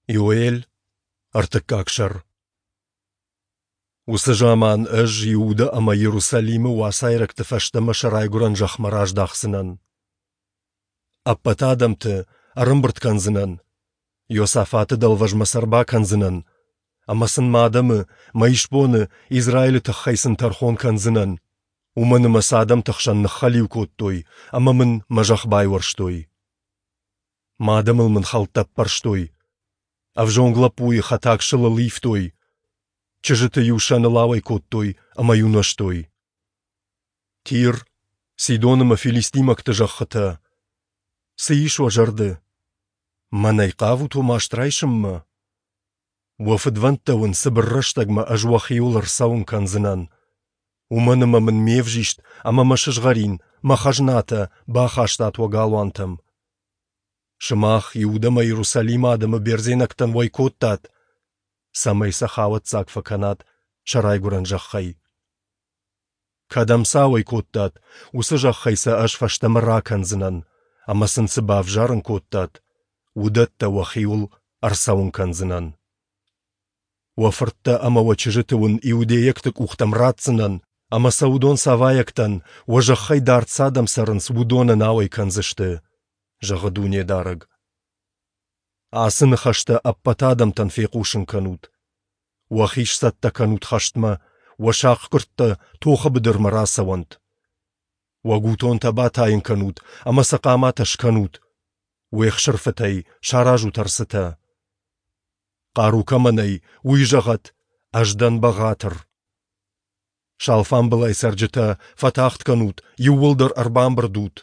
Иоэль, ӕртыккаг сӕр. Уыцы заман ӕз Иудӕ ӕмӕ Иерусалимы уацайрӕгты фӕстӕмӕ сӕ райгуырӕн зӕхмӕ раздахдзынӕн. Ӕппӕт адӕмты ӕрӕмбырд кӕндзынӕн, Иосафаты дӕлвӕзмӕ сӕ ӕрбакӕндзынӕн, ӕмӕ сын мӕ адӕмы, мӕ исбоны, Израилы тыххӕй сын тӕрхон кӕндзынӕн, уымӕн ӕмӕ сӕ адӕмты хсӕн ныххӕлиу кодтой ӕмӕ мын мӕ зӕхх байуӕрстой. Мӕ адӕмыл мын хӕлттӕ ӕппӕрстой, ӕвзонг лӕппуйы хӕтаг сылыл ивтой, чызджыты-иу сӕныл ауӕй кодтой ӕмӕ-иу нуӕзтой. Тир, Сидон ӕмӕ филистимӕгты зӕххытӕ. Цы ис уӕ зӕрды? Мӕнӕй хъавут уӕ маст райсынмӕ? Уӕ фыдвӕндтӕ уын цыбыр рӕстӕгмӕ ӕз уӕхиуыл ӕрцӕуын кӕндзынӕн. Уымӕн ӕмӕ мын ме взист ӕмӕ мӕ сызгъӕрин, мӕ хӕзнатӕ бахастат уӕ галуантӕм. Сымах Иудӕ ӕмӕ Иерусалимы адӕмы бердзенӕгтӕн уӕй кодтат, цӕмӕй сӕ хауӕццаг фӕкӕнат сӕ райгуырӕн зӕххӕй. Кӕдӕм сӕ ауӕй кодтат, уыцы зӕххӕй сӕ ӕз фӕстӕмӕ ракӕндзынӕн, ӕмӕ сын цы бавзарын кодтат, уыдӕттӕ уӕхиуыл ӕрцӕуын кӕндзынӕн. Уӕ фырттӕ ӕмӕ уӕ чызджыты уын иудейӕгты къухтӕм ратдзынӕн, ӕмӕ сӕ уыдон савайӕгтӕн, уӕ зӕххӕй дард цы адӕм цӕрынц, уыдонӕн ауӕй кӕндзысты, зӕгъы Дунедарӕг. Ацы ныхӕстӕ ӕппӕт адӕмтӕн фехъусын кӕнут. Уӕхи сцӕттӕ кӕнут хӕстмӕ, уӕ сахъгуырдтӕ тохы быдырмӕ рацӕуӕнт. Уӕ гутонтӕ батайын кӕнут ӕмӕ сӕ хъаматӕ скӕнут. Уе хсырфытӕй саразут ӕрцытӕ. Хъару кӕмӕ нӕй, уый зӕгъӕд: «Ӕз дӕн бӕгъатыр». Сӕ алфамбылай цӕрджытӕ, фӕтагъд кӕнут, иууылдӕр ӕрбамбырд ут.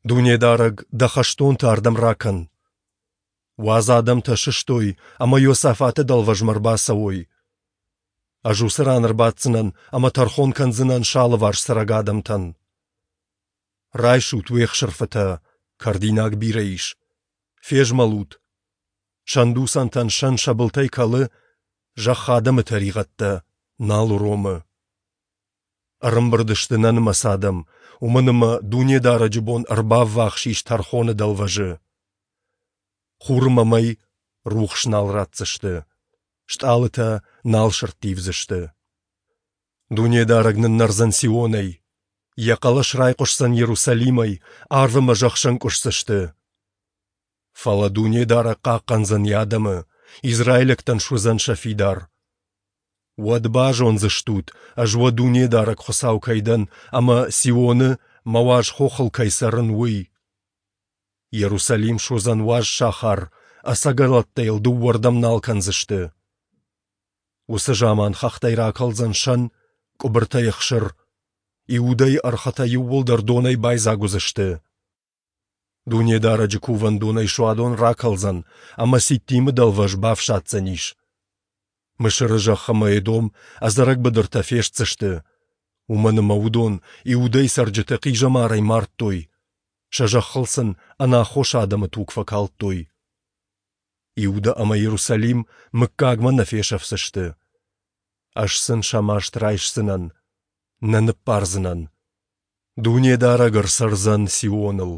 Дунедарӕг, дӕ хӕстонты ардӕм ракӕн. Уадз адӕмтӕ сыстой ӕмӕ Иосафаты дӕлвӕзмӕ ӕрбацӕуой. Ӕз уыцы ран ӕрбаддзынӕн ӕмӕ тӕрхон кӕндзынӕн сӕ алыварс цӕрӕг адӕмтӕн. Райсут уе хсырфытӕ, кӕрдинаг бирӕ ис. Фезмӕлут. Сӕндуцӕнтӕн сӕн сӕ былтӕй кӕлы, зӕхх адӕмы тӕригъӕдтӕ нал уромы. Ӕрӕмбырд сты нӕнымӕц адӕм, уымӕн ӕмӕ Дунедарӕджы бон ӕрбаввахс ис тӕрхоны дӕлвӕзы. Хур ӕмӕ мӕй рухс нал ратдзысты, стъалытӕ нал сӕрттивдзысты. Дунедарӕг ныннӕрдзӕн Сионӕй, йӕ хъӕлӕс райхъуысдзӕн Иерусалимӕй, арв ӕмӕ зӕхх сӕнкъуысдзысты. Фӕлӕ Дунедарӕг хъахъхъӕндзӕн йӕ адӕмы, израилӕгтӕн суыдзӕн сӕ фидар. Уӕд базондзыстут, ӕз уӕ Дунедарӕг Хуыцау кӕй дӕн ӕмӕ Сионы, мӕ уаз хохыл кӕй цӕрын, уый. Иерусалим суыдзӕн уаз сахар, ӕцӕгӕлӕттӕ йыл дыууӕрдӕм нал кӕндзысты. Уыцы заман хӕхтӕй ракӕлдзӕн сӕн, къуыбыртӕй ӕхсыр. Иудӕйы ӕрхытӕ иууылдӕр донӕй байдзаг уыдзысты. Дунедарӕджы кувӕндонӕй суадон ракӕлдзӕн ӕмӕ Ситтимы дӕлвӕз бафсаддзӕнис. Мысыры зӕхх ӕмӕ Эдом ӕдзӕрӕг быдыртӕ фестдзысты, уымӕн ӕмӕ уыдон Иудӕйы цӕрджыты хъизӕмарӕй мардтой, сӕ зӕххыл сын ӕнаххос адӕмы туг фӕкалдтой. Иудӕ ӕмӕ Иерусалим мыггагмӕ нӕ фесӕфдзысты. Ӕз сын сӕ маст райсдзынӕн, нӕ ныббардзынӕн. Дунедарӕг ӕрцӕрдзӕн Сионыл.